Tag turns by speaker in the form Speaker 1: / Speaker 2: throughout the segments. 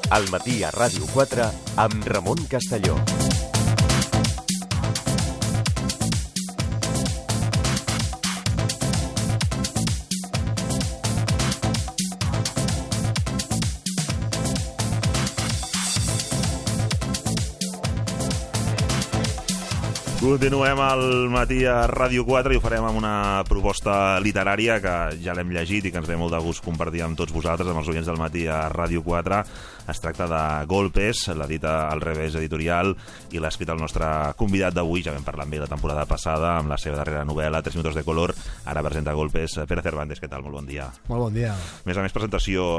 Speaker 1: Al matí a Ràdio 4 amb Ramon Castelló.
Speaker 2: Continuem al matí a Ràdio 4 i ho farem amb una proposta literària que ja l'hem llegit i que ens ve molt de gust compartir amb tots vosaltres, amb els oients del matí a Ràdio 4. Es tracta de Golpes, l'edita al Revés Editorial i l'ha escrit el nostre convidat d'avui. Ja vam parlar amb ell la temporada passada amb la seva darrera novel·la, 3 minutos de color. Ara presenta Golpes. Pere Cervantes, què tal? Molt bon dia.
Speaker 3: Molt bon dia.
Speaker 2: A més, presentació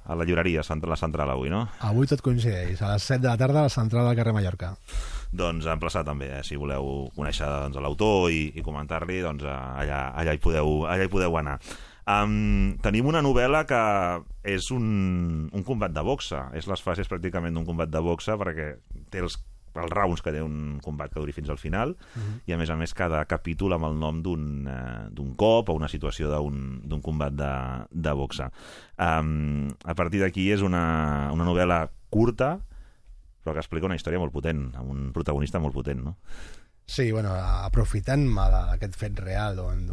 Speaker 2: a la llibreria, a la central avui, no?
Speaker 3: Avui tot coincideix, a les 7 de la tarda a la central del carrer Mallorca.
Speaker 2: Doncs emplaçar també, si voleu conèixer l'autor i comentar-li, doncs allà hi podeu anar. Tenim una novel·la que és un combat de boxa. És les fases pràcticament d'un combat de boxa perquè té els rounds que té un combat que duri fins al final i a més cada capítol amb el nom d'un cop o una situació d'un combat de boxa. A partir d'aquí és una novel·la curta però que explica una història molt potent, amb un protagonista molt potent, no?
Speaker 3: Sí, bueno, aprofitant-me d'aquest fet real, on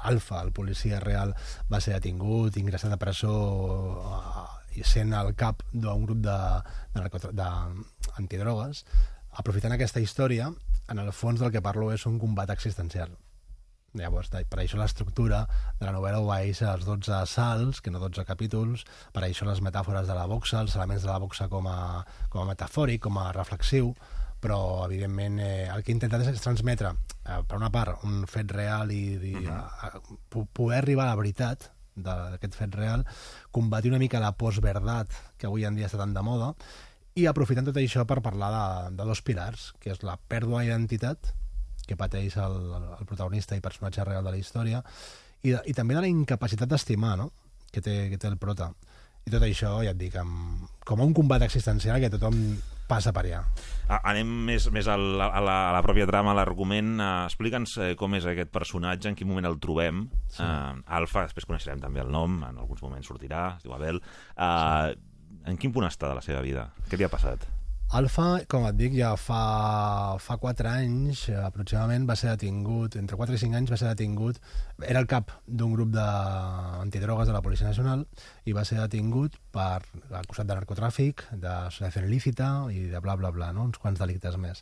Speaker 3: Alfa, el policia real, va ser detingut, ingressat a presó i sent el cap d'un grup d'antidrogues, aprofitant aquesta història, en el fons del que parlo és un combat existencial. Llavors, per això l'estructura de la novel·la obeeix als 12 assalts, que no 12 capítols, per això les metàfores de la boxa, els elements de la boxa com a metafòric, com a reflexiu, però evidentment el que he intentat és transmetre, per una part, un fet real i poder arribar a la veritat d'aquest fet real, combatir una mica la postverdat que avui en dia està tan de moda, i aprofitant tot això per parlar de dos pilars, que és la pèrdua d'identitat, que pateix el protagonista i personatge real de la història, i també de la incapacitat d'estimar, no?, que té el prota. I tot això, ja et dic, com a un combat existencial que tothom passa per allà.
Speaker 2: Anem més a la pròpia trama, a l'argument. Explica'ns com és aquest personatge, en quin moment el trobem. Sí. Alfa, després coneixerem també el nom, en alguns moments sortirà, es diu Abel. En quin punt està de la seva vida? Què li ha passat?
Speaker 3: Alfa, com et dic, ja fa 4 anys aproximadament va ser detingut, entre 4 i 5 anys va ser detingut, era el cap d'un grup d'antidrogues de la Policia Nacional i va ser detingut per acusat de narcotràfic, d'associació il·lícita i de bla bla bla, no? Uns quants delictes més.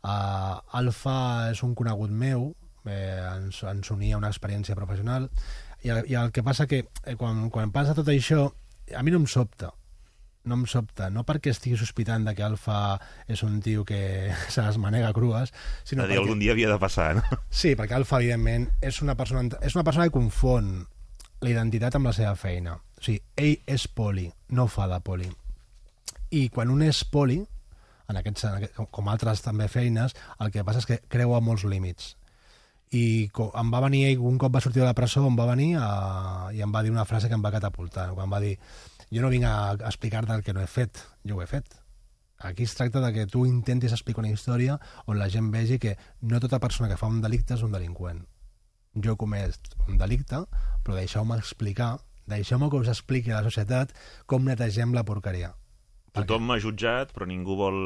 Speaker 3: Alfa és un conegut meu, ens unia una experiència professional i el que passa que quan passa tot això a mi no em sobta, no perquè estigui sospitant de que Alfa és un tio que se les manega crues, sinó perquè
Speaker 2: algun dia havia de passar, no?
Speaker 3: Sí, perquè Alfa, evidentment, és una persona que confon la identitat amb la seva feina. O sigui, ell és poli, no fa de poli. I quan un és poli, com altres també feines, el que passa és que creua molts límits. I em va venir ell, un cop va sortir de la presó, em va venir i em va dir una frase que em va catapultar, quan em va dir: jo no vinc a explicar-te el que no he fet, jo ho he fet. Aquí es tracta de que tu intentis explicar una història on la gent vegi que no tota persona que fa un delicte és un delinqüent. Jo he comès un delicte, però deixeu-me explicar, deixeu-me que us expliqui a la societat com netegem la porqueria.
Speaker 2: Tothom m'ha jutjat, però ningú vol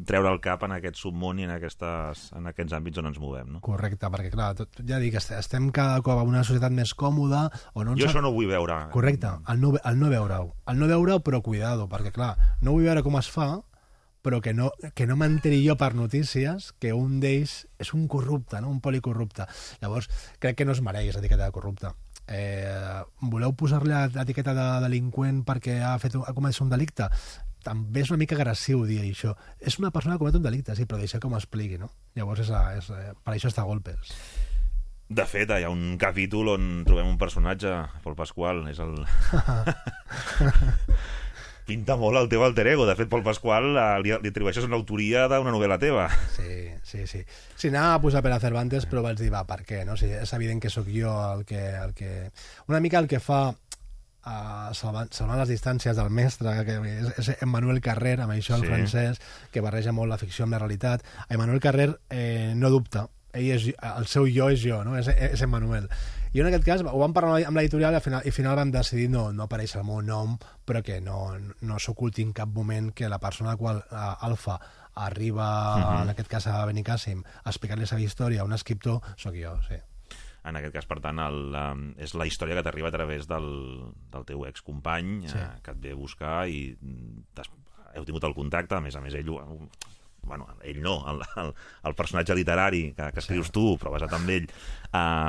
Speaker 2: treure el cap en aquest submón i en aquests àmbits on ens movem, no?
Speaker 3: Correcte, perquè clar, ja dic, estem cada cop en una societat més còmoda...
Speaker 2: Jo això no ho vull veure.
Speaker 3: Correcte, el no veure-ho, però cuidado, perquè clar, no vull veure com es fa, però que no m'enteri jo per notícies que un d'ells és un corrupte, no? Un policorrupte. Llavors, crec que no es mereix l'etiqueta de corrupte. Voleu posar-li l'etiqueta de delinqüent perquè ha comès un delicte? També és una mica agressiu dir això. És una persona que comet un delicte, sí, però deixa que m'ho expliqui, no? Llavors per això està Golpes.
Speaker 2: De fet, hi ha un capítol on trobem un personatge, Pol Pasqual, és el... Pinta molt el teu alter ego. De fet, Pol Pasqual li atribueixes una autoria d'una novel·la teva.
Speaker 3: Sí. Sí, anava a posar Pere Cervantes, però vaig dir, per què? No? O sigui, és evident que sóc jo el que... Una mica el que fa salvant les distàncies del mestre, que és Emmanuel Carrer, amb això el francès, que barreja molt la ficció amb la realitat. Emmanuel Carrer no dubta. el seu jo és jo, no? És Emmanuel. I en aquest cas ho vam parlar amb l'editorial i al final vam decidir no aparèixer el meu nom, però que no s'oculti en cap moment que la persona a la qual Alfa arriba, en aquest cas a Benicàssim, a explicar-li la seva història a un escriptor, sóc jo, sí.
Speaker 2: En aquest cas, per tant, és la història que t'arriba a través del teu excompany, que et ve a buscar i heu tingut el contacte, a més ell... Bueno, ell no, el personatge literari que escrius tu, però basat en ell,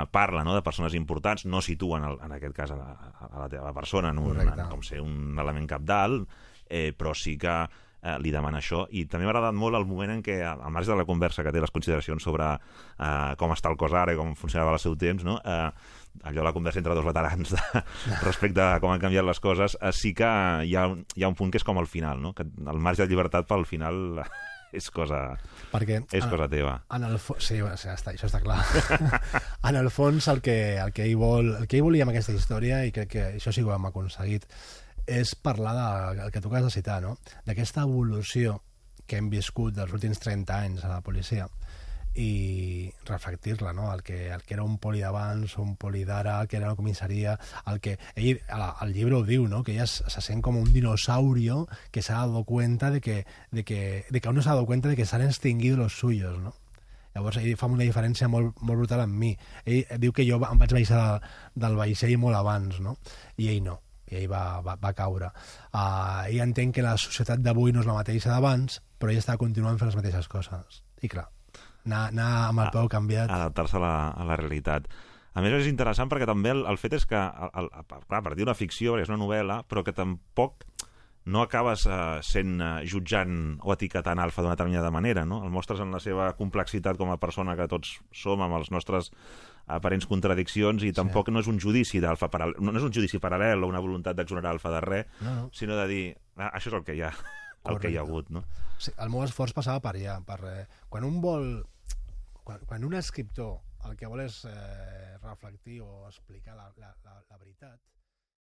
Speaker 2: parla de persones importants, no situen, en aquest cas, a la teva persona com ser un element cabdal, però sí que li demana això, i també m'ha agradat molt el moment en què, al marge de la conversa que té, les consideracions sobre com està el cos ara i com funcionava al seu temps, no? Allò la conversa entre dos veterans respecte a com han canviat les coses, sí que hi ha un punt que és com al final, no? Que el marge de llibertat pel final és cosa teva.
Speaker 3: Sí, això està clar. En el fons el que ell volia amb aquesta història, i crec que això sí que ho hem aconseguit, és parlar del que tu acabes de citar, no? D'aquesta evolució que hem viscut dels últims 30 anys a la policia i reflectir-la, no? El que era un poli d'abans, un poli d'ara, el que era la comissaria, el que ell, el llibre ho diu, no? Que ella se sent com un dinosaurio que se ha dado cuenta de que aún no se ha dado cuenta de que se han extinguido los suyos, no? Llavors ell fa una diferència molt brutal amb mi. Ell diu que jo em vaig baixar del vaixell molt abans, no? I ell no, i ell va caure. Ell entén que la societat d'avui no és la mateixa d'abans, però ell està continuant fent les mateixes coses. I clar, anar amb el peu canviat.
Speaker 2: Adaptar-se a la realitat. A més, és interessant perquè també el fet és que, clar, a partir d'una ficció, és una novel·la, però que tampoc no acabes jutjant o etiquetant Alfa d'una determinada manera, no? El mostres en la seva complexitat com a persona que tots som, amb els nostres aparents contradiccions, i tampoc no és un judici d'Alfa no és un judici paral·lel o una voluntat d'exonerar Alfa de res, sinó de dir, això és el que hi ha, el que hi ha hagut, no?
Speaker 3: Sí, el meu esforç passava per allà, quan un escriptor el que vol és reflectir o explicar la veritat,